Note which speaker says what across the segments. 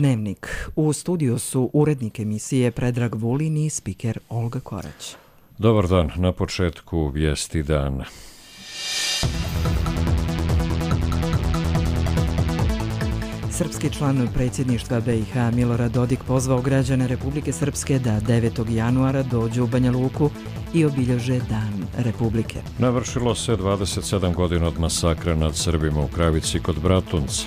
Speaker 1: Dnevnik. U studiju su urednik emisije Predrag Vulin i spiker Olga Korać.
Speaker 2: Dobar dan, na početku vijesti dana.
Speaker 1: Srpski član predsjedništva BiH Milorad Dodik pozvao građane Republike Srpske da 9. januara dođu u Banja Luku i obilježe Dan Republike.
Speaker 2: Navršilo se 27 godina od masakra nad Srbima u Kravici kod Bratunca.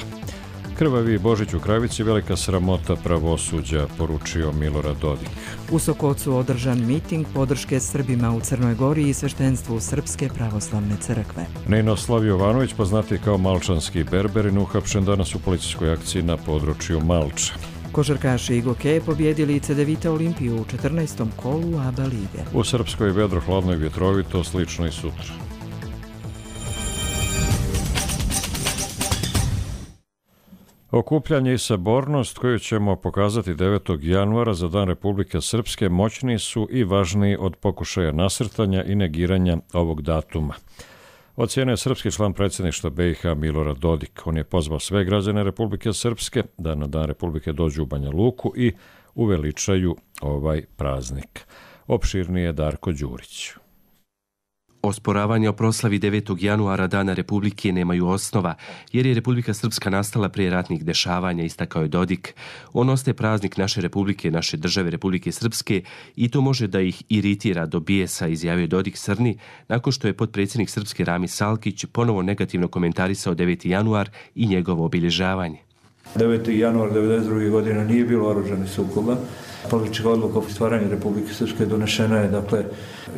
Speaker 2: Krvavi Božić u Kravici, velika sramota pravosuđa, poručio Milorad Dodik.
Speaker 1: U Sokocu održan miting podrške Srbima u Crnoj Gori i sveštenstvu Srpske pravoslavne crkve.
Speaker 2: Ninoslav Jovanović, poznati kao Malčanski berberin, uhapšen danas u policijskoj akciji na području Malča.
Speaker 1: Košarkaši i gokeje pobjedili Cedevita Olimpiju u 14. kolu ABA lige.
Speaker 2: U Srpskoj vedro, hladno i vjetrovito, slično i sutra. Okupljanje i sabornost koju ćemo pokazati 9. januara za Dan Republike Srpske moćniji su i važniji od pokušaja nasrtanja i negiranja ovog datuma. Ocijenio je srpski član predsjedništva BiH Milorad Dodik. On je pozvao sve građane Republike Srpske da na Dan Republike dođu u Banja Luku i uveličaju ovaj praznik. Opširnije Darko Đurić.
Speaker 3: Osporavanja o proslavi 9. januara Dana Republike nemaju osnova, jer je Republika Srpska nastala prije ratnih dešavanja, istakao je Dodik. On ostaje praznik naše Republike, naše države Republike Srpske i to može da ih iritira do bijesa, izjavio Dodik Srni, nakon što je potpredsjednik Srpske Rami Salkić ponovo negativno komentarisao 9. januar i njegovo obilježavanje.
Speaker 4: 9. januar 1992. godine nije bilo oružanih sukoba. Politička odluka o stvaranju Republike Srpske donešena je,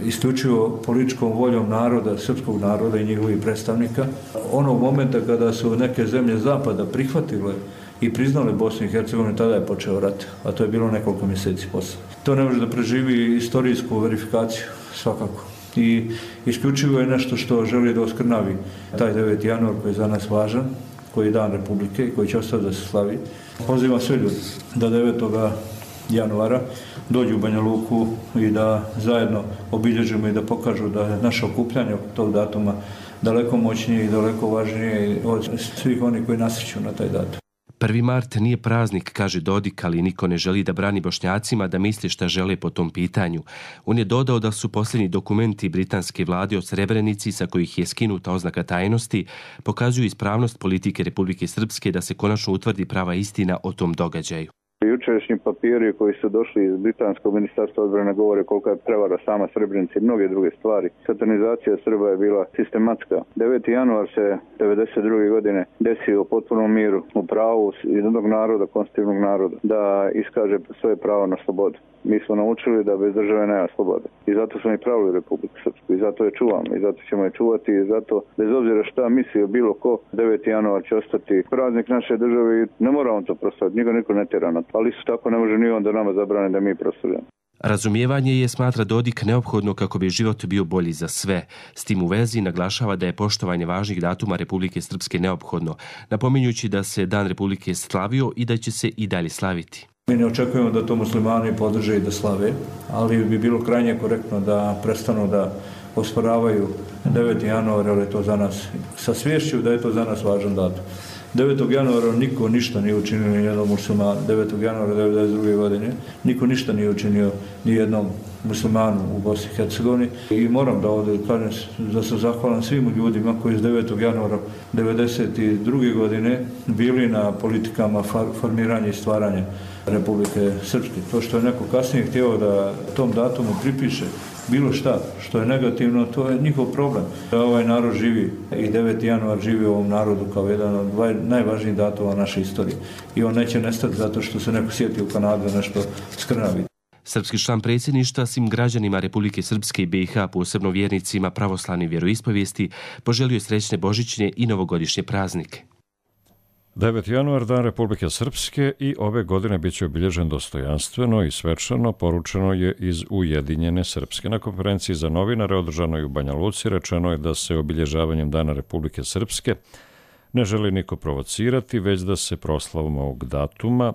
Speaker 4: isključivo političkom voljom naroda, srpskog naroda i njihovih predstavnika. Onog momenta kada su neke zemlje zapada prihvatile i priznale Bosnu i Hercegovinu, tada je počeo rat, a to je bilo nekoliko mjeseci poslije. To ne može da preživi istorijsku verifikaciju, svakako. I isključivo je nešto što želi da oskrnavi taj 9. januar koji je za nas važan, koji je Dan Republike i koji će ostati da se slavi. Pozivam sve ljudi da 9. januara dođu u Banja Luku i da zajedno obilježimo i da pokažu da je naše okupljanje oko tog datuma daleko moćnije i daleko važnije od svih onih koji nasreću na taj datum.
Speaker 3: 1. mart nije praznik, kaže Dodik, ali niko ne želi da brani Bošnjacima da misli šta žele po tom pitanju. On je dodao da su posljednji dokumenti britanske vlade o Srebrenici, sa kojih je skinuta oznaka tajnosti, pokazuju ispravnost politike Republike Srpske da se konačno utvrdi prava istina o tom događaju.
Speaker 5: Jučerašnji papiri koji su došli iz Britanskog ministarstva odbrane govore kolika je prevara sama Srebrenica i mnoge druge stvari. Satanizacija Srba je bila sistematska. 9. januar se 1992. godine desio u potpunom miru, u pravu jednog naroda, konstitutivnog naroda, da iskaže svoje pravo na slobodu. Mi smo naučili da bez države nema slobode. I zato smo i pravili Republiku Srpsku. I zato je čuvamo. I zato ćemo je čuvati. I zato, bez obzira šta mislio bilo ko, 9. januar će ostati praznik naše države i ne moramo to proslaviti. Niko ne tjera na to. Ali isto tako ne može ni on da nama zabrane da mi proslavljamo.
Speaker 3: Razumijevanje je, smatra Dodik, neophodno kako bi život bio bolji za sve. S tim u vezi naglašava da je poštovanje važnih datuma Republike Srpske neophodno, napominjući da se Dan Republike slavio i da će se i dalje slaviti.
Speaker 4: Mi ne očekujemo da to muslimani podrže i da slave, ali bi bilo krajnje korektno da prestanu da osporavaju 9. januar, jer je to za nas, sa sviješću da je to za nas važan datum. 9. januara niko ništa nije učinio ni jednom muslimanu. 9. januara 1992. godine niko ništa nije učinio ni jednom muslimanu u Bosni i Hercegovini. I moram da ovdje kažem da sam zahvalan svim ljudima koji iz 9. januara 1992. godine bili na politikama formiranja i stvaranja Republike Srpske. To što je neko kasnije htio da tom datumu pripiše bilo šta što je negativno, to je njihov problem. Da ovaj narod živi i 9. januar živi u ovom narodu kao jedan od najvažnijih datuma naše istorije. I on neće nestati zato što se neko sjeti u Kanadu nešto skrnavi.
Speaker 3: Srpski član predsjedništva svim građanima Republike Srpske i BiH, posebno vjernicima pravoslavne vjeroispovijesti, poželio je srećne božićne i novogodišnje praznike.
Speaker 2: 9. januar, Dan Republike Srpske, i ove godine bit će obilježen dostojanstveno i svečano, poručeno je iz Ujedinjene Srpske. Na konferenciji za novinare održanoj u Banja Luci rečeno je da se obilježavanjem Dana Republike Srpske ne želi niko provocirati, već da se proslavom ovog datuma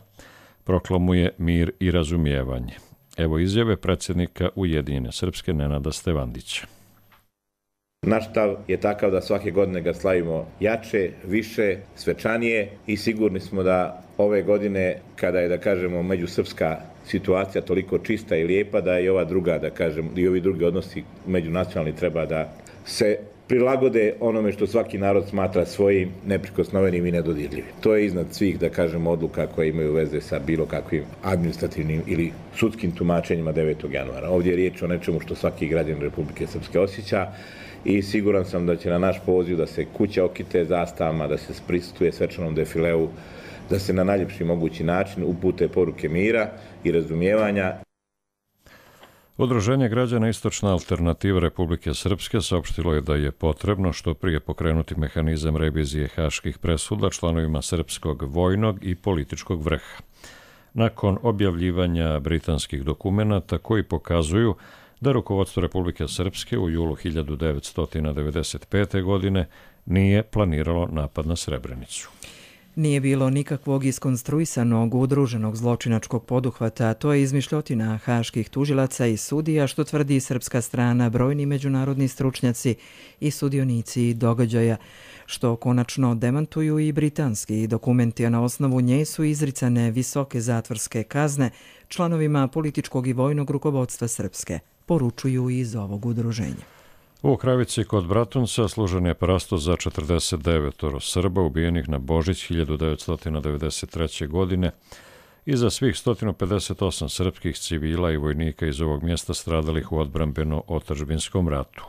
Speaker 2: proklamuje mir i razumijevanje. Evo izjave predsjednika Ujedinjene Srpske Nenada Stevandića.
Speaker 6: Naš stav je takav da svake godine ga slavimo jače, više, svečanije i sigurni smo da ove godine, kada je, da kažemo, međusrpska situacija toliko čista i lijepa, da i ova druga, da kažem, i ovi drugi odnosi međunacionalni treba da se prilagode onome što svaki narod smatra svojim, neprikosnovenim i nedodirljivim. To je iznad svih, da kažem, odluka koje imaju veze sa bilo kakvim administrativnim ili sudskim tumačenjima 9. januara. Ovdje je riječ o nečemu što svaki građanin Republike Srpske osjeća i siguran sam da će na naš poziv da se kuće okite zastavama, da se prisustuje svečanom defileu, da se na najljepši mogući način upute poruke mira i razumijevanja.
Speaker 2: Udruženje građana Istočna alternativa Republike Srpske saopštilo je da je potrebno što prije pokrenuti mehanizam revizije haških presuda članovima srpskog vojnog i političkog vrha. Nakon objavljivanja britanskih dokumenata koji pokazuju da rukovodstvo Republike Srpske u julu 1995. godine nije planiralo napad na Srebrenicu.
Speaker 1: Nije bilo nikakvog iskonstruisanog udruženog zločinačkog poduhvata, to je izmišljotina haških tužilaca i sudija, što tvrdi srpska strana, brojni međunarodni stručnjaci i sudionici događaja, što konačno demantuju i britanski dokumenti, a na osnovu nje su izricane visoke zatvorske kazne članovima političkog i vojnog rukovodstva Srpske, poručuju iz ovog udruženja.
Speaker 2: U Kravici kod Bratunca služen je prasto za 49 Srba ubijenih na Božić 1993. godine i za svih 158 srpskih civila i vojnika iz ovog mjesta stradalih u odbrambeno-otadžbinskom ratu.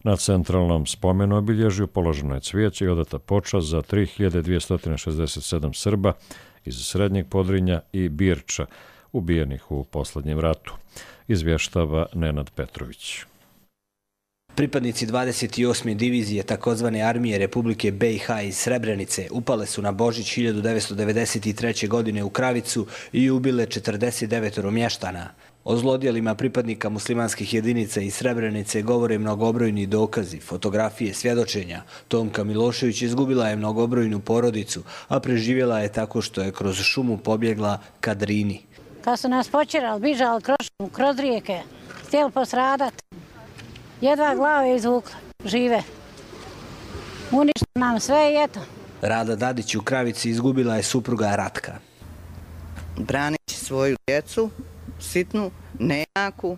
Speaker 2: Na centralnom spomenu obilježju položeno je cvijeće i odata počast za 3267 Srba iz Srednjeg Podrinja i Birča, ubijenih u posljednjem ratu, izvještava Nenad Petrović.
Speaker 7: Pripadnici 28. divizije takozvane armije Republike BiH iz Srebrenice upale su na Božić 1993. godine u Kravicu i ubile 49 mještana. O zlodjelima pripadnika muslimanskih jedinica iz Srebrenice govore mnogobrojni dokazi, fotografije, svjedočenja. Tomka Milošević izgubila je mnogobrojnu porodicu, a preživjela je tako što je kroz šumu pobjegla ka Drini.
Speaker 8: Kad su nas počerali, bižali kroz rijeke, htjeli posradati. Jedva glave izvukla, žive. Uništili nam sve i eto.
Speaker 7: Rada Dadić u Kravici izgubila je supruga Ratka.
Speaker 9: Braneći svoju djecu, sitnu, nejaku,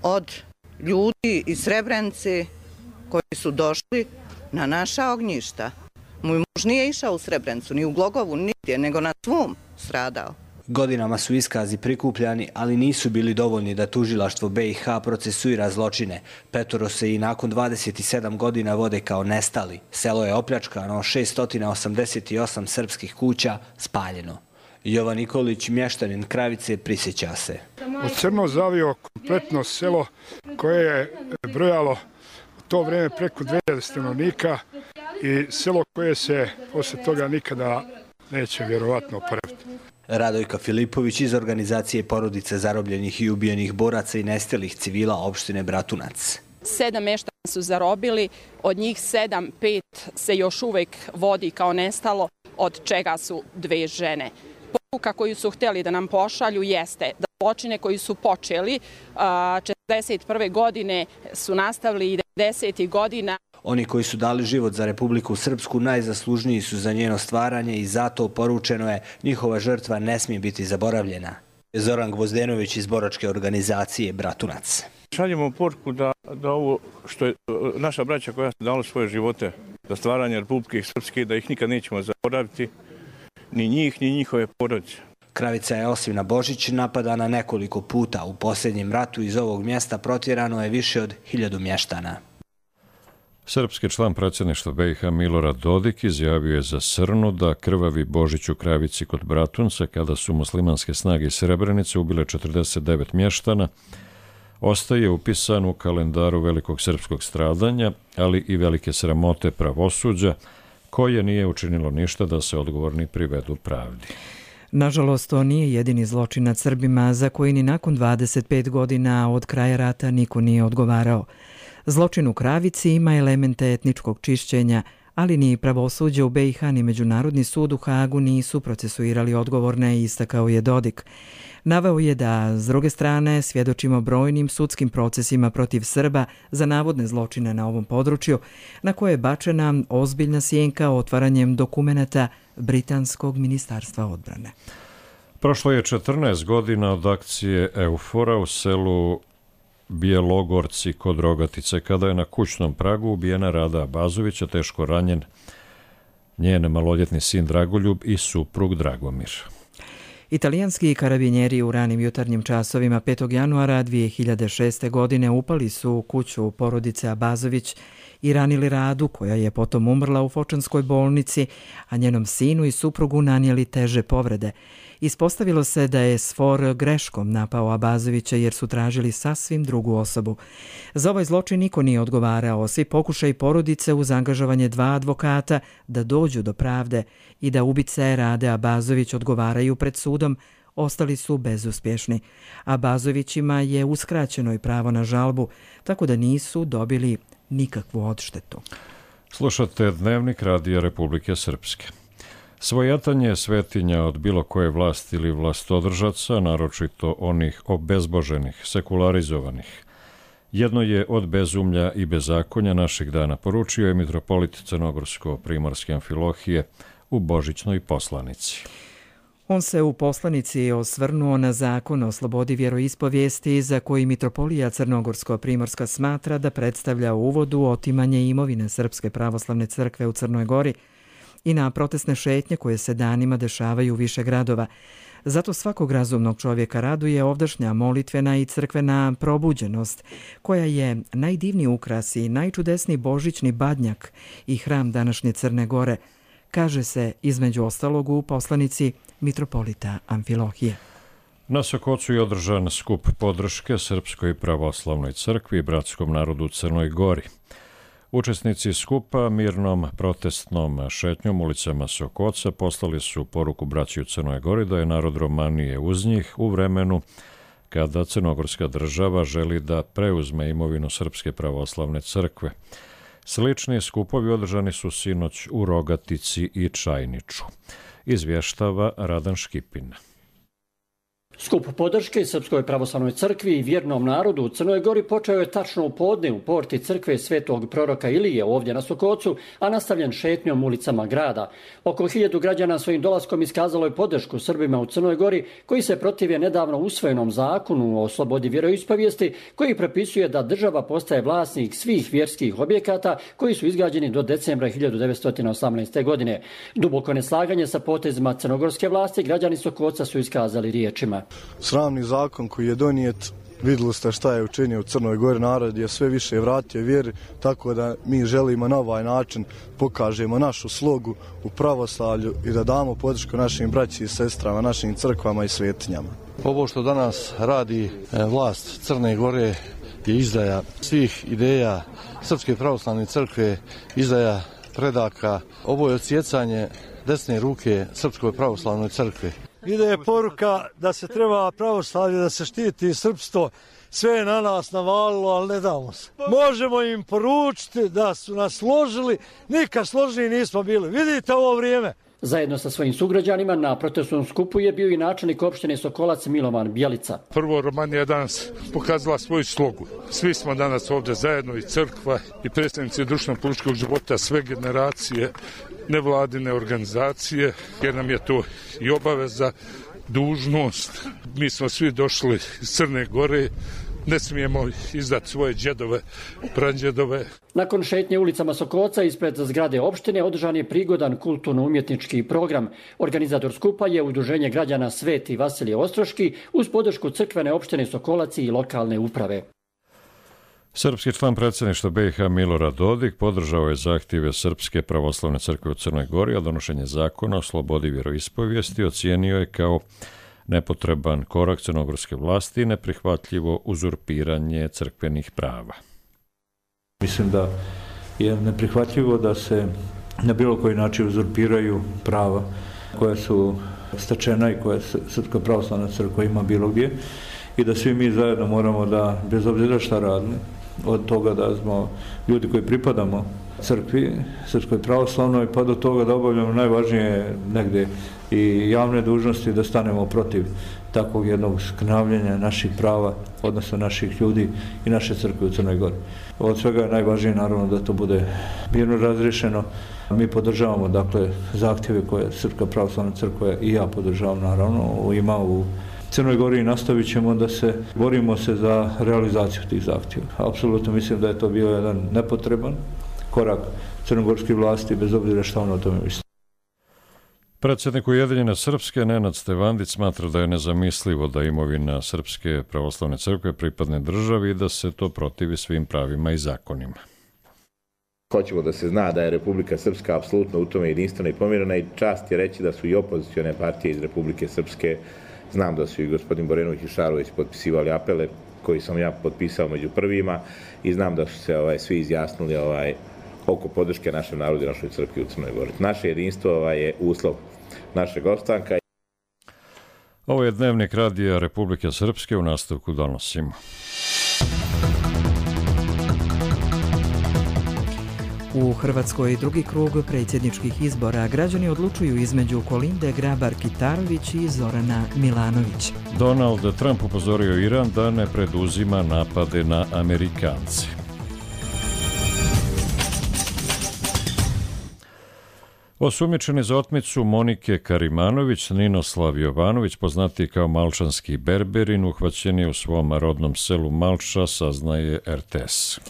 Speaker 9: od ljudi iz Srebrenice koji su došli na naša ognjišta. Moj muž nije išao u Srebrenicu, ni u Glogovu, nigdje, nego na svom stradao.
Speaker 7: Godinama su iskazi prikupljani, ali nisu bili dovoljni da tužilaštvo BiH procesuira zločine. Petoro se i nakon 27 godina vode kao nestali. Selo je opljačkano, 688 srpskih kuća spaljeno. Jovan Nikolić, mještanin Kravice, prisjeća se.
Speaker 10: U crno zavio kompletno selo koje je brojalo u to vrijeme preko 2000 stanovnika i selo koje se posle toga nikada neće vjerovatno oporaviti.
Speaker 7: Radojka Filipović iz organizacije porodice zarobljenih i ubijenih boraca i nestalih civila opštine Bratunac.
Speaker 11: 7 mještana su zarobili, od njih 5 se još uvijek vodi kao nestalo, od čega su 2 žene. Poruka koju su htjeli da nam pošalju jeste da zločine koji su počeli 1941. godine su nastavili i 90. godina.
Speaker 7: Oni koji su dali život za Republiku Srpsku najzaslužniji su za njeno stvaranje i zato poručeno je njihova žrtva ne smije biti zaboravljena. Zoran Gvozdenović iz boračke organizacije Bratunac.
Speaker 12: Šaljemo poruku da ovo što je naša braća koja su dala svoje živote za stvaranje Republike Srpske, da ih nikad nećemo zaboraviti, ni njih, ni njihove porodice.
Speaker 7: Kravica je osim na Božić napadana nekoliko puta. U posljednjem ratu iz ovog mjesta protjerano je više od 1000 mještana.
Speaker 2: Srpski član predsjedništva BiH Milorad Dodik izjavio je za Srnu da krvavi Božić u Kravici kod Bratunca, kada su muslimanske snage iz Srebrenice ubile 49 mještana, ostaje upisan u kalendaru velikog srpskog stradanja, ali i velike sramote pravosuđa, koje nije učinilo ništa da se odgovorni privedu pravdi.
Speaker 1: Nažalost, to nije jedini zločin nad Srbima za koji ni nakon 25 godina od kraja rata niko nije odgovarao. Zločin u Kravici ima elemente etničkog čišćenja, ali ni pravosuđe u BiH ni Međunarodni sud u Hagu nisu procesuirali odgovorne, istakao je Dodik. Naveo je da, s druge strane, svjedočimo brojnim sudskim procesima protiv Srba za navodne zločine na ovom području, na koje je bačena ozbiljna sjenka otvaranjem dokumenata Britanskog ministarstva odbrane.
Speaker 2: Prošlo je 14 godina od akcije Eufora u selu Bjelogorci kod Rogatice, kada je na kućnom pragu ubijena Rada Abazovića, teško ranjen njen maloljetni sin Dragoljub i suprug Dragomir.
Speaker 1: Italijanski karabinjeri u ranim jutarnjim časovima 5. januara 2006. godine upali su u kuću porodice Abazović i ranili Radu, koja je potom umrla u Fočanskoj bolnici, a njenom sinu i suprugu nanijeli teže povrede. Ispostavilo se da je SFOR greškom napao Abazovića jer su tražili sasvim drugu osobu. Za ovaj zločin niko nije odgovarao, svi pokušaj porodice uz angažovanje 2 advokata da dođu do pravde i da ubice Rade Abazović odgovaraju pred sudom, ostali su bezuspješni. Abazovićima je uskraćeno i pravo na žalbu, tako da nisu dobili nikakvu odštetu.
Speaker 2: Slušate Dnevnik Radija Republike Srpske. Svojatanje svetinja od bilo koje vlasti ili vlastodržaca, naročito onih obezboženih, sekularizovanih, jedno je od bezumlja i bezakonja naših dana, poručio je mitropolit Crnogorsko-primorske Amfilohije u božićnoj poslanici.
Speaker 1: On se u poslanici osvrnuo na zakon o slobodi vjeroispovijesti za koji mitropolija Crnogorsko-primorska smatra da predstavlja u uvodu otimanje imovine Srpske pravoslavne crkve u Crnoj Gori i na protestne šetnje koje se danima dešavaju u više gradova. Zato svakog razumnog čovjeka raduje ovdašnja molitvena i crkvena probuđenost, koja je najdivniji ukras i najčudesniji božićni badnjak i hram današnje Crne Gore, kaže se između ostalog u poslanici mitropolita Amfilohije.
Speaker 2: Na Sokocu je održan skup podrške Srpskoj pravoslavnoj crkvi i bratskom narodu u Crnoj Gori. Učesnici skupa mirnom protestnom šetnjom ulicama Sokoca poslali su poruku braći u Crnoj Gori da je narod Romanije uz njih u vremenu kada crnogorska država želi da preuzme imovinu Srpske pravoslavne crkve. Slični skupovi održani su sinoć u Rogatici i Čajniču. Izvještava Radan Škipin.
Speaker 13: Skup podrške Srpskoj pravoslavnoj crkvi i vjernom narodu u Crnoj Gori počeo je tačno u podne u porti crkve Svetog proroka Ilije ovdje na Sokocu, a nastavljen šetnjom ulicama grada. Oko 1000 građana svojim dolaskom iskazalo je podršku Srbima u Crnoj Gori koji se protive nedavno usvojenom zakonu o slobodi vjeroispovijesti koji propisuje da država postaje vlasnik svih vjerskih objekata koji su izgrađeni do decembra 1918. godine. Duboko neslaganje sa potezima crnogorske vlasti građani Sokoca su iskazali riječima.
Speaker 14: Sramni zakon koji je donijet, vidjeli ste šta je učinio u Crnoj Gori, narod je sve više vratio vjeri, tako da mi želimo na ovaj način pokažemo našu slogu u pravoslavlju i da damo podršku našim braći i sestrama, našim crkvama i svetinjama.
Speaker 15: Ovo što danas radi vlast Crne Gore je izdaja svih ideja Srpske pravoslavne crkve, izdaja predaka. Ovo je odsjecanje desne ruke Srpskoj pravoslavnoj crkve.
Speaker 16: Ide je poruka da se treba pravoslavlje, da se štiti srpstvo. Sve je na nas navalilo, ali ne damo se. Možemo im poručiti da su nas složili, nikad složili nismo bili. Vidite ovo vrijeme.
Speaker 13: Zajedno sa svojim sugrađanima na protestnom skupu je bio i načelnik opštine Sokolac Milovan Bjelica.
Speaker 10: Prvo, Romanija danas pokazala svoju slogu. Svi smo danas ovdje zajedno, i crkva, i predstavnici društveno-političkog života, sve generacije, nevladine organizacije, jer nam je to i obaveza, dužnost. Mi smo svi došli iz Crne Gore, ne smijemo izdati svoje džedove, pradžedove.
Speaker 13: Nakon šetnje ulicama Sokoca ispred zgrade opštine održan je prigodan kulturno-umjetnički program. Organizator skupa je Udruženje građana Sveti Vasilije Ostroški uz podršku crkvene opštine Sokolac i lokalne uprave.
Speaker 2: Srpski član predsjedništva BiH Milorad Dodik podržao je zahtjeve Srpske pravoslavne crkve u Crnoj Gori, a donošenje zakona o slobodi vjeroispovijesti ocijenio je kao nepotreban korak crnogorske vlasti i neprihvatljivo uzurpiranje crkvenih prava.
Speaker 4: Mislim da je neprihvatljivo da se na bilo koji način uzurpiraju prava koja su stečena i koja Srpska pravoslavna crkva ima bilo gdje, i da svi mi zajedno moramo da, bez obzira šta radili, od toga da smo ljudi koji pripadamo crkvi, Srpskoj pravoslavnoj, pa do toga da obavljamo najvažnije negde i javne dužnosti, da stanemo protiv takvog jednog skrnavljenja naših prava, odnosno naših ljudi i naše crkve u Crnoj Gori. Od svega je najvažnije naravno da to bude mirno razriješeno. Mi podržavamo dakle zahtjeve koje Srpska pravoslavna crkva i ja podržavam naravno ima u Crnoj Gori i nastavit ćemo da se borimo za realizaciju tih zahtjeva. Apsolutno mislim da je to bio jedan nepotreban korak crnogorskih vlasti, bez obzira što ono o tome misli.
Speaker 2: Predsjednik Ujedinjene Srpske Nenad Stevandić smatra da je nezamislivo da imovina Srpske pravoslavne crkve pripadne državi i da se to protivi svim pravima i zakonima.
Speaker 6: Hoćemo da se zna da je Republika Srpska apsolutno u tome jedinstvena i pomirena i čast je reći da su i opozicione partije iz Republike Srpske, znam da su i gospodin Borenović i Šarović potpisivali apele koji sam ja potpisao među prvima i znam da su se svi izjasnili oko podrške našem narodu i našoj crkvi u Crnoj Gori. Naše jedinstvo je uslov našeg opstanka.
Speaker 2: Ovo je dnevnik radija Republike Srpske, u nastavku donosimo.
Speaker 1: U Hrvatskoj drugi krug predsjedničkih izbora građani odlučuju između Kolinde Grabar-Kitarović i Zorana Milanovića.
Speaker 2: Donald Trump upozorio Iran da ne preduzima napade na Amerikance. Osumnjičeni za otmicu Monike Karimanović, Ninoslav Jovanović, poznatiji kao Malčanski berberin, uhvaćen je u svom rodnom selu Malča, saznaje RTS.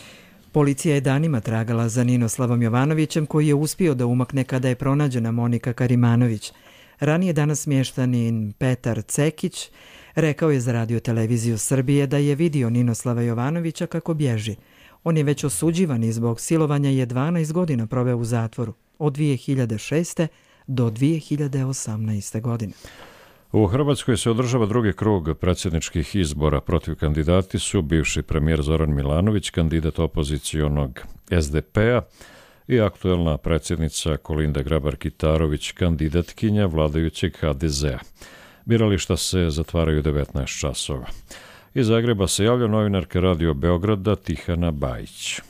Speaker 1: Policija je danima tragala za Ninoslavom Jovanovićem, koji je uspio da umakne kada je pronađena Monika Karimanović. Ranije danas smještanin Petar Cekić rekao je za Radio-televiziju Srbije da je vidio Ninoslava Jovanovića kako bježi. On je već osuđivan i zbog silovanja je 12 godina proveo u zatvoru, od 2006. do 2018. godine.
Speaker 2: U Hrvatskoj se održava drugi krug predsjedničkih izbora. Protiv kandidati su bivši premijer Zoran Milanović, kandidat opozicionog SDP-a, i aktuelna predsjednica Kolinda Grabar-Kitarović, kandidatkinja vladajućeg HDZ-a. Birališta se zatvaraju 19 časova. Iz Zagreba se javlja novinarka Radio Beograda Tihana Bajić.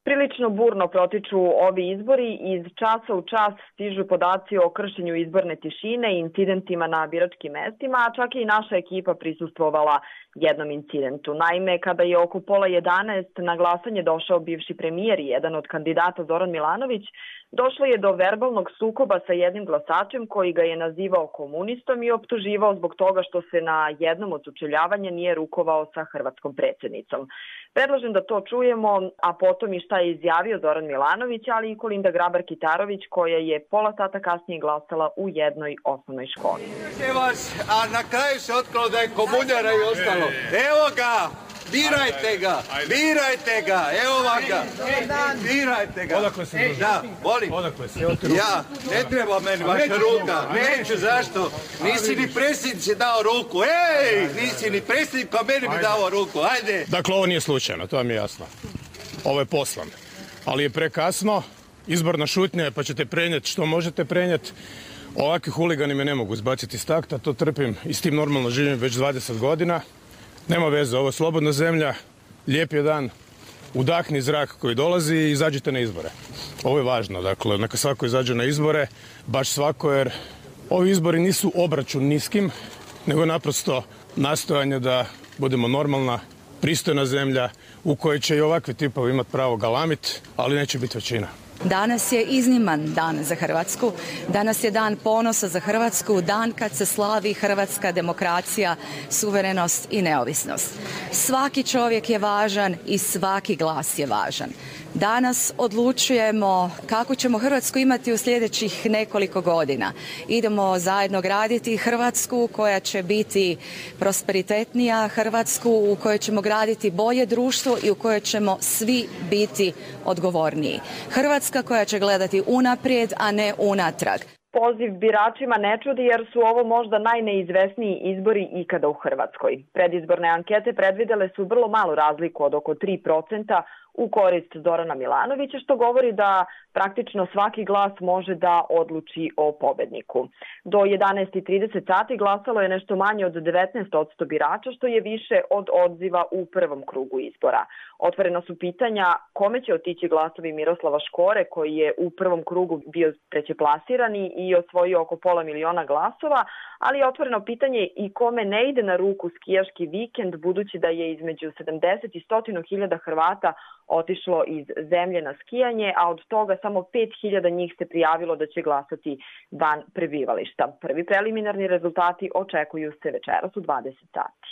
Speaker 17: Prilično burno protiču ovi izbori i iz časa u čas stižu podaci o kršenju izborne tišine i incidentima na biračkim mestima, a čak i naša ekipa prisustvovala jednom incidentu. Naime, kada je oko 10:30 na glasanje došao bivši premijer i jedan od kandidata Zoran Milanović, došlo je do verbalnog sukoba sa jednim glasačem koji ga je nazivao komunistom i optuživao zbog toga što se na jednom od sučeljavanja nije rukovao sa hrvatskom predsjednicom. Predlažem da to čujemo, a potom i šta je izjavio Zoran Milanović, ali i Kolinda Grabar-Kitarović, koja je pola sata kasnije glasala u jednoj osnovnoj školi.
Speaker 18: A na kraju se otkrilo da je komunjara i ostalo. Evo ga! Birajte ga! Birajte ga! Evo ga! Birajte ga!
Speaker 19: Odakle se druži?
Speaker 18: Da, volim.
Speaker 19: Odakle se?
Speaker 18: Ja, ne treba meni vaša ruka. Neću, zašto? Nisi ni predsjednici dao ruku. Ej! Nisi ni predsjednik, pa meni bi dao ruku. Ajde!
Speaker 19: Dakle, ovo nije slučajno, to vam je jasno. Ovo je poslan. Ali je prekasno, izborna šutnja je, pa ćete prenijeti što možete prenijeti. Ovakvi huligani me ne mogu izbaciti iz takta, to trpim i s tim normalno živim već 20 godina. Nema veze, ovo je slobodna zemlja, lijep je dan, udahni zrak koji dolazi i izađite na izbore. Ovo je važno, dakle, neka svako izađe na izbore, baš svako, jer ovi izbori nisu obračun niskim, nego naprosto nastojanje da budemo normalna, pristojna zemlja u kojoj će i ovakvi tipovi imati pravo galamit, ali neće biti većina.
Speaker 20: Danas je izniman dan za Hrvatsku, danas je dan ponosa za Hrvatsku, dan kad se slavi hrvatska demokracija, suverenost i neovisnost. Svaki čovjek je važan i svaki glas je važan. Danas odlučujemo kako ćemo Hrvatsku imati u sljedećih nekoliko godina. Idemo zajedno graditi Hrvatsku koja će biti prosperitetnija, Hrvatsku u kojoj ćemo graditi bolje društvo i u kojoj ćemo svi biti odgovorniji. Hrvatska koja će gledati unaprijed, a ne unatrag.
Speaker 17: Poziv biračima ne čudi jer su ovo možda najneizvesniji izbori ikada u Hrvatskoj. Predizborne ankete predvidele su vrlo malu razliku od oko 3% u korist Zorana Milanovića, što govori da Praktično svaki glas može da odluči o pobedniku. Do 11:30 sati glasalo je nešto manje od 19% birača, što je više od odziva u prvom krugu izbora. Otvorena su pitanja kome će otići glasovi Miroslava Škore, koji je u prvom krugu bio trećeplasirani i osvojio oko 500.000 glasova, ali je otvoreno pitanje i kome ne ide na ruku skijaški vikend, budući da je između 70 i 100.000 Hrvata otišlo iz zemlje na skijanje, a od toga samo 5.000 njih se prijavilo da će glasati van prebivališta. Prvi preliminarni rezultati očekuju se večeras u 20 sati.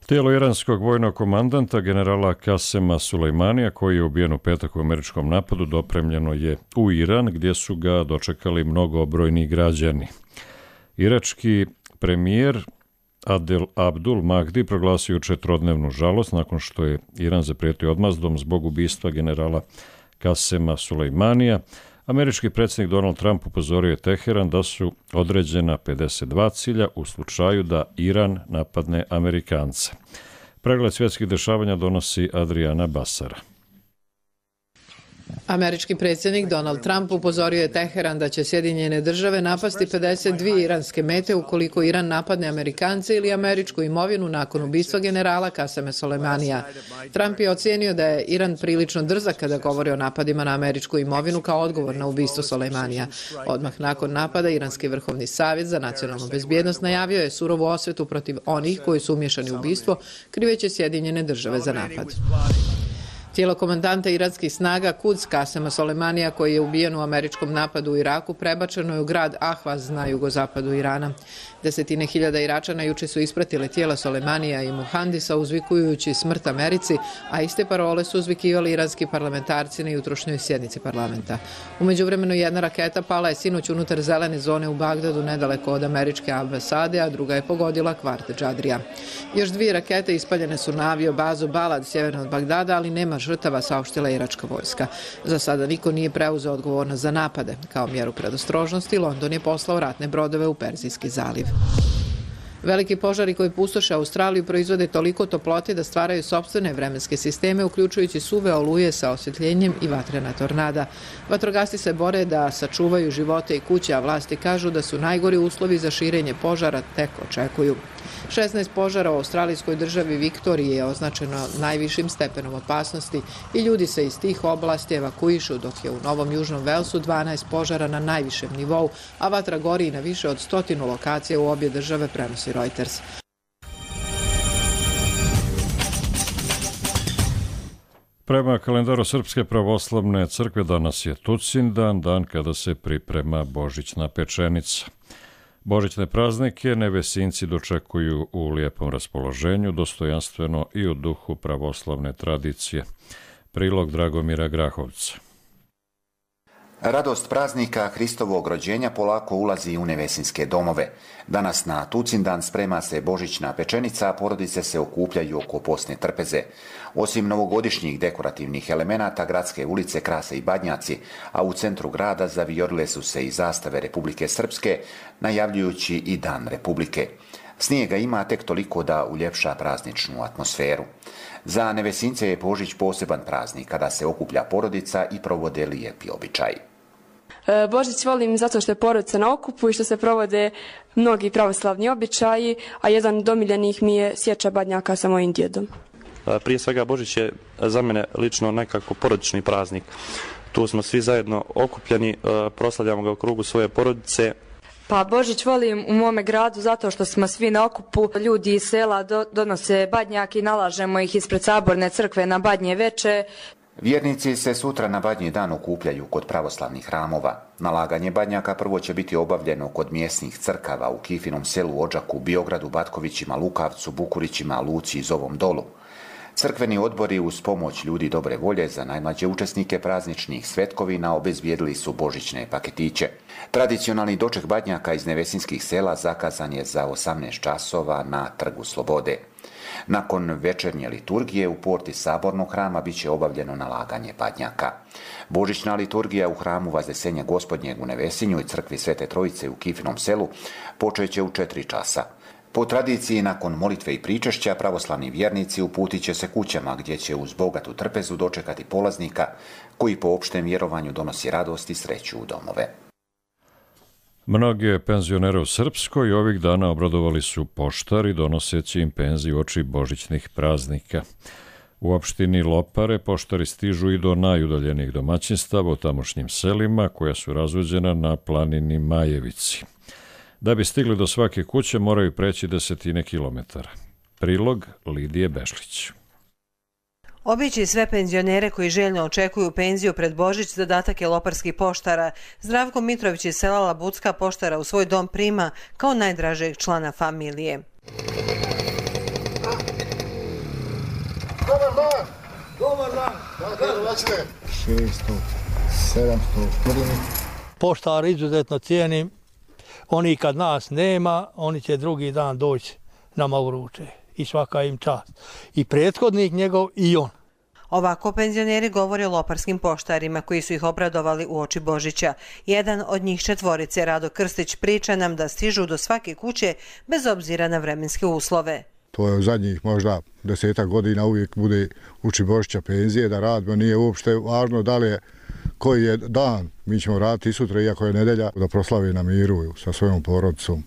Speaker 2: Tijelo iranskog vojnog komandanta generala Kasema Sulejmanija, koji je ubijen u petak u američkom napadu, dopremljeno je u Iran, gdje su ga dočekali mnogobrojni građani. Irački premijer Adel Abdul Mahdi proglasio jučer trodnevnu žalost nakon što je Iran zaprijetio odmazdom zbog ubistva generala Kasema Sulejmanija. Američki predsjednik Donald Trump upozorio je Teheran da su određena 52 cilja u slučaju da Iran napadne Amerikance. Pregled svjetskih dešavanja donosi Adriana Basara.
Speaker 21: Američki predsjednik Donald Trump upozorio je Teheran da će Sjedinjene države napasti 52 iranske mete ukoliko Iran napadne Amerikance ili američku imovinu nakon ubistva generala Kasema Sulejmanija. Trump je ocijenio da je Iran prilično drzak kada govori o napadima na američku imovinu kao odgovor na ubistvo Sulejmanija. Odmah nakon napada, Iranski vrhovni savjet za nacionalnu bezbjednost najavio je surovu osvetu protiv onih koji su umješani u ubistvo, kriveći Sjedinjene države za napad. Tijelo komandanta iranskih snaga Quds Kasema Sulejmanija, koji je ubijen u američkom napadu u Iraku, prebačeno je u grad Ahvaz na jugozapadu Irana. Desetine hiljada Iračana juče su ispratile tijela Sulejmanija i Muhandisa uzvikujući smrt Americi, a iste parole su uzvikivali iranski parlamentarci na jutrošnjoj sjednici parlamenta. U međuvremenu jedna raketa pala je sinoć unutar zelene zone u Bagdadu nedaleko od američke ambasade, a druga je pogodila kvart Džadrija. Još 2 rakete ispaljene su na avio bazu Balad sjeverno od Bagdada, ali nema žrtava, saopštila iračka vojska. Za sada niko nije preuzeo odgovornost za napade. Kao mjeru predostrožnosti, London je poslao ratne brodove u Perzijski zaliv. Veliki požari koji pustoše Australiju proizvode toliko toplote da stvaraju sopstvene vremenske sisteme, uključujući suve oluje sa osvjetljenjem i vatrena tornada. Vatrogasci se bore da sačuvaju živote i kuće, a vlasti kažu da su najgori uslovi za širenje požara tek očekuju. 16 požara u australijskoj državi Viktoriji je označeno najvišim stepenom opasnosti i ljudi se iz tih oblasti evakuišu, dok je u Novom Južnom Velsu 12 požara na najvišem nivou, a vatra gori na više od 100 lokacija u obje države, prenosi Reuters.
Speaker 2: Prema kalendaru Srpske pravoslavne crkve danas je Tucindan, dan kada se priprema božićna pečenica. Božićne praznike nevesinci dočekuju u lijepom raspoloženju, dostojanstveno i u duhu pravoslavne tradicije. Prilog Dragomira Grahovca.
Speaker 22: Radost praznika Hristovog rođenja polako ulazi u nevesinske domove. Danas na Tucindan sprema se božićna pečenica, a porodice se okupljaju oko posne trpeze. Osim novogodišnjih dekorativnih elemenata, gradske ulice krase i badnjaci, a u centru grada zavijorile su se i zastave Republike Srpske, najavljujući i Dan Republike. Snijega ima tek toliko da uljepša prazničnu atmosferu. Za nevesince je Božić poseban praznik kada se okuplja porodica i provode lijepi običaji.
Speaker 23: Božić volim zato što je porodica na okupu i što se provode mnogi pravoslavni običaji, a jedan od omiljenih mi je sječa badnjaka sa mojim djedom.
Speaker 24: Prije svega Božić je za mene lično nekako porodični praznik. Tu smo svi zajedno okupljeni, proslavljamo ga u krugu svoje porodice.
Speaker 23: Pa Božić volim u mome gradu zato što smo svi na okupu, ljudi iz sela donose badnjake i nalažemo ih ispred saborne crkve na badnje veče.
Speaker 22: Vjernici se sutra na Badnji dan okupljaju kod pravoslavnih hramova. Nalaganje badnjaka prvo će biti obavljeno kod mjesnih crkava u Kifinom selu, Odžaku, Biogradu, Batkovićima, Lukavcu, Bukurićima, Luci i Zovom Dolu. Crkveni odbori uz pomoć ljudi dobre volje za najmlađe učesnike prazničnih svetkovina obezbijedili su božićne paketiće. Tradicionalni doček badnjaka iz nevesinskih sela zakazan je za 18 časova na Trgu Slobode. Nakon večernje liturgije u porti Sabornog hrama bit će obavljeno nalaganje badnjaka. Božićna liturgija u hramu Vaznesenja Gospodnjeg u Nevesinju i crkvi Svete Trojice u Kifinom selu počeće u 4 časa. Po tradiciji, nakon molitve i pričešća, pravoslavni vjernici uputit će se kućama gdje će uz bogatu trpezu dočekati polaznika koji po opštem vjerovanju donosi radost i sreću u domove.
Speaker 2: Mnoge penzionere u Srpskoj ovih dana obradovali su poštari donoseći im penziju uoči božićnih praznika. U opštini Lopare poštari stižu i do najudaljenijih domaćinstava u tamošnjim selima koja su razuđena na planini Majevici. Da bi stigli do svake kuće moraju preći 10 kilometara. Prilog Lidije Bešlić.
Speaker 3: Obići sve penzionere koji željno očekuju penziju pred Božić zadatak je loparskih poštara. Zdravko Mitrović iz sela Labucka poštara u svoj dom prima kao najdražeg člana familije.
Speaker 5: Dobar dan! Dobar dan! Kako ćete? 600, 700, Poštar izuzetno cijenim. Oni kad nas nema, oni će drugi dan doći nama u ruče. I svaka im čast. I prethodnik njegov i on.
Speaker 3: Ovako penzioneri govore o loparskim poštarima koji su ih obradovali uoči Božića. Jedan od njih četvorice, Rado Krstić, priča nam da stižu do svake kuće bez obzira na vremenske uslove.
Speaker 8: To je u zadnjih možda 10 godina uvijek bude uoči Božića penzije da radimo. Nije uopšte važno da li je koji je dan. Mi ćemo raditi i sutra, iako je nedelja, da proslavi na miru sa svojom porodicom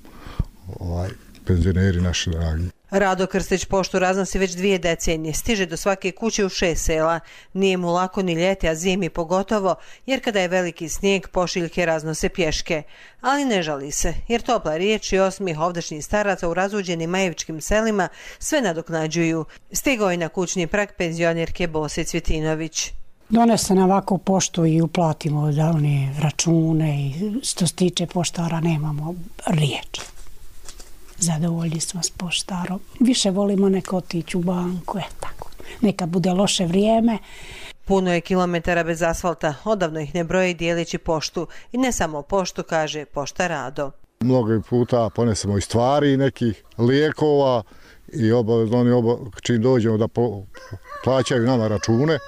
Speaker 8: penzioneri naši dragi.
Speaker 3: Rado Krstić poštu raznosi već 2 decenije. Stiže do svake kuće u 6 sela. Nije mu lako ni ljeti, a zimi pogotovo, jer kada je veliki snijeg, pošiljke raznose pješke. Ali ne žali se, jer topla riječ i osmih ovdašnjih staraca u razuđenim majevičkim selima sve nadoknađuju. Stigao je na kućni prag penzionerke Bose Cvjetinović.
Speaker 9: Donese na ovako poštu i uplatimo da one račune i što se tiče poštara nemamo riječ. Zadovoljni smo s poštarom. Više volimo neko otići u banku, tako. Neka bude loše vrijeme.
Speaker 3: Puno je kilometara bez asfalta, odavno ih ne broje dijelići poštu. I ne samo poštu, kaže pošta Rado.
Speaker 8: Mnogo puta ponesemo i stvari nekih lijekova i obavezno čim dođemo da plaćaju nama račune.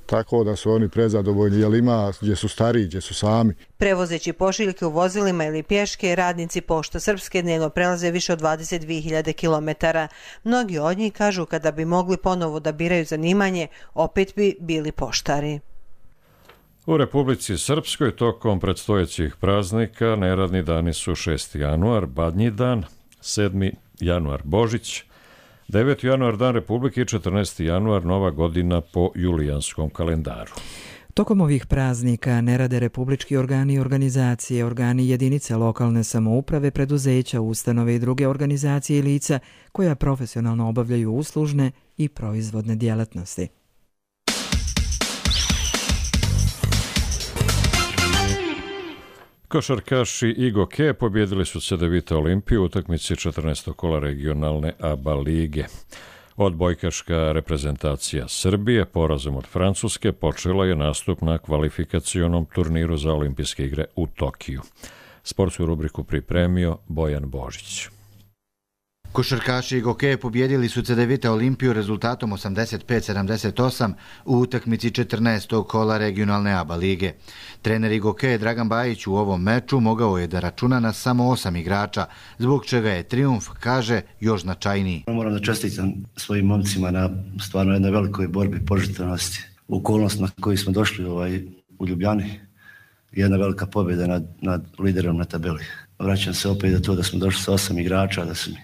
Speaker 8: Tako da su oni prezadovoljni, jer ima gdje su stariji, gdje su sami.
Speaker 3: Prevozeći pošiljke u vozilima ili pješke, radnici Pošta Srpske dnevno prelaze više od 22.000 kilometara. Mnogi od njih kažu kada bi mogli ponovo da biraju zanimanje, opet bi bili poštari.
Speaker 2: U Republici Srpskoj tokom predstojećih praznika neradni dani su 6. januar, Badnji dan, 7. januar, Božić, 9. januar, Dan Republike i 14. januar, Nova godina po julijanskom kalendaru.
Speaker 1: Tokom ovih praznika ne rade republički organi i organizacije, organi jedinice lokalne samouprave, preduzeća, ustanove i druge organizacije i lica koja profesionalno obavljaju uslužne i proizvodne djelatnosti.
Speaker 2: Košarkaši i Goke pobjedili su CDVita Olimpiju u utakmici 14. kola regionalne ABA lige. Odbojkaška reprezentacija Srbije porazom od Francuske počela je nastup na kvalifikacionom turniru za olimpijske igre u Tokiju. Sportsku rubriku pripremio Bojan Božić.
Speaker 25: Košarkaši i Goke pobjedili su CDVita Olimpiju rezultatom 85-78 u utakmici 14. kola regionalne ABA lige. Trener Goke Dragan Bajić u ovom meču mogao je da računa na samo 8 igrača, zbog čega je trijumf, kaže, još značajniji.
Speaker 26: Moram da čestitam svojim momcima na stvarno jednoj velikoj borbi požrtvenosti. U okolnost na koju smo došli u Ljubljani, jedna velika pobjeda nad liderom na tabeli. Vraćam se opet do to da smo došli sa 8 igrača, da su mi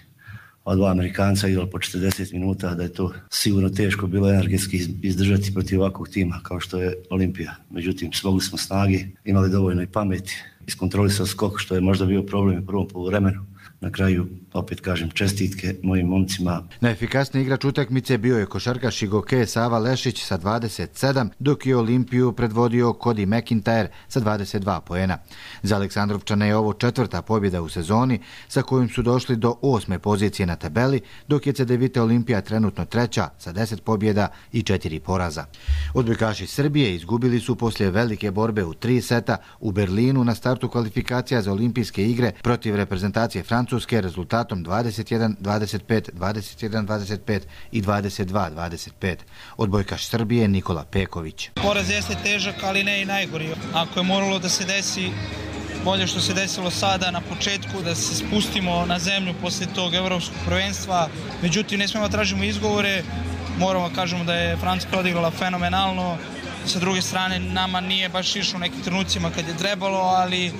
Speaker 26: od 2 Amerikanca igrali po 40 minuta, da je to sigurno teško bilo energetski izdržati protiv ovakvog tima kao što je Olimpija. Međutim, smogli smo snagi, imali dovoljno i pameti, iskontrolisali skok, što je možda bio problem u prvom poluvremenu. Na kraju, opet kažem, čestitke mojim momcima.
Speaker 25: Najefikasniji igrač utakmice bio je košarkaš i Goke Sava Lešić sa 27, dok je Olimpiju predvodio Cody McIntyre sa 22 poena. Za Aleksandrovčane je ovo 4. pobjeda u sezoni, sa kojom su došli do 8. pozicije na tabeli, dok je CDVita Olimpija trenutno 3. sa 10 pobjeda i 4 poraza. Odbojkaši Srbije izgubili su poslije velike borbe u 3 seta u Berlinu na startu kvalifikacija za olimpijske igre protiv reprezentacije Francuske rezultatom 21-25, 21-25 i 22-25. Odbojkaš Srbije Nikola Peković.
Speaker 27: Poraz jeste težak, ali ne i najgori. Ako je moralo da se desi
Speaker 7: bolje što se desilo sada na početku, da se spustimo na zemlju poslije tog evropskog prvenstva. Međutim, ne smijemo tražimo izgovore, moramo kažemo da je Francuska odigrala fenomenalno. Sa druge strane, nama nije baš išlo u nekim trenucima kad je trebalo, ali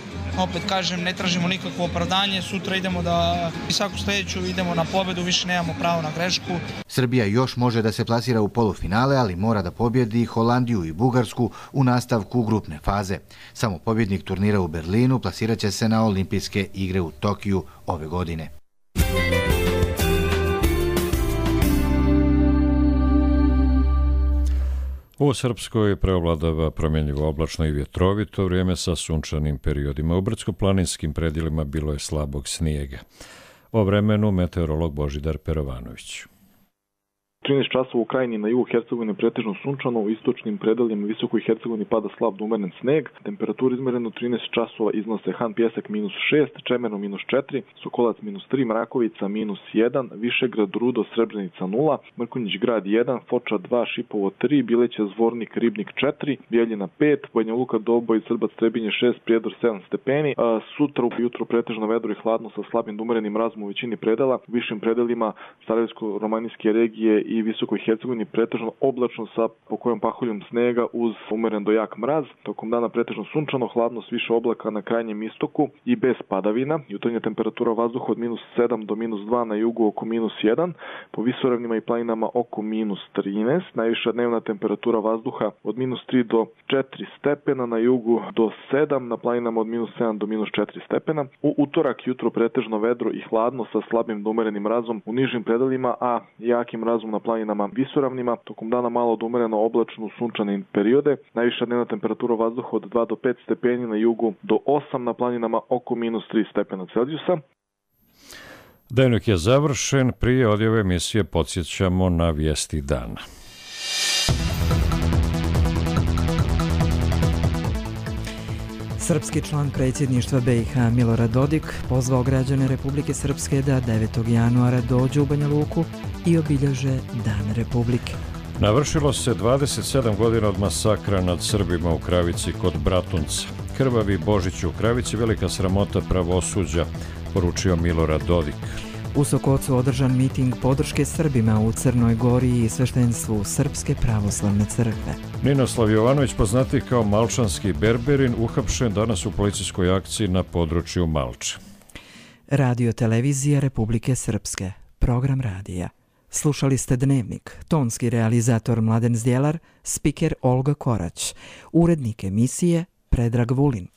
Speaker 7: opet kažem, ne tražimo nikakvo opravdanje. Sutra idemo da i svaku sljedeću idemo na pobedu, više nemamo pravo na grešku.
Speaker 25: Srbija još može da se plasira u polufinale, ali mora da pobjedi Holandiju i Bugarsku u nastavku grupne faze. Samo pobjednik turnira u Berlinu plasirat će se na olimpijske igre u Tokiju ove godine.
Speaker 2: U Srpskoj preovladava promjenjivo oblačno i vjetrovito vrijeme sa sunčanim periodima. U brdsko-planinskim predjelima bilo je slabog snijega. O vremenu meteorolog Božidar Perovanović.
Speaker 11: 13 časova u Krajini na jugu Hercegovine pretežno sunčano, u istočnim predelima u Visokoj Hercegovini pada slab do umeren sneg. Temperatura izmerena 13 časova iznose Han Pjesak -6, Čemerno -4, Sokolac -3, Mrakovica -1, Višegrad, Rudo, Srebrenica 0, Mrkonjić grad 1, Foča 2, Šipovo 3, Bileća, Zvornik, Ribnik 4, Bijeljina 5, Banja Luka, Doboj, Srbac, Trebinje 6, Prijedor 7 stepeni. Sutra ujutro pretežno vedro i hladno sa slabim do umerenim mrazom u većini predela. U višim predelima Sarajevsko-romanijske regije i Visokoj Hercegovini pretežno oblačno sa pokojom paholjom snega uz umeren do jak mraz. Tokom dana pretežno sunčano, hladno s više oblaka na krajnjem istoku i bez padavina. Jutarnja temperatura vazduha od -7 do -2, na jugu oko -1, po visoravnima i planinama oko -13. Najviša dnevna temperatura vazduha od -3 do 4 stepena, na jugu do 7, na planinama od -7 do -4 stepena. U utorak jutro pretežno vedro i hladno sa slabim do umerenim mrazom u nižim predelima, a jakim mrazom na planinama visoravnima. Tokom dana malo od umereno oblačno sunčane periode. Najviša dnevna temperatura vazduha od 2 do 5 stepeni, na jugu do 8, na planinama oko -3 stepena Celzijusa.
Speaker 2: Dnevnik je završen. Prije odjave emisije podsjećamo na vijesti dana.
Speaker 1: Srpski član predsjedništva BiH Milorad Dodik pozvao građane Republike Srpske da 9. januara dođu u Banja Luku i obilježe Dan Republike.
Speaker 2: Navršilo se 27 godina od masakra nad Srbima u Kravici kod Bratunca. Krvavi Božić u Kravici, velika sramota pravosuđa, poručio Milorad Dodik.
Speaker 1: U Sokocu održan miting podrške Srbima u Crnoj Gori i sveštenstvu Srpske pravoslavne crkve.
Speaker 2: Ninoslav Jovanović, poznati kao Malčanski berberin, uhapšen danas u policijskoj akciji na području Malče.
Speaker 1: Radio televizija Republike Srpske. Program radija. Slušali ste Dnevnik. Tonski realizator Mladen Zdjelar, spiker Olga Korać. Urednik emisije Predrag Vulin.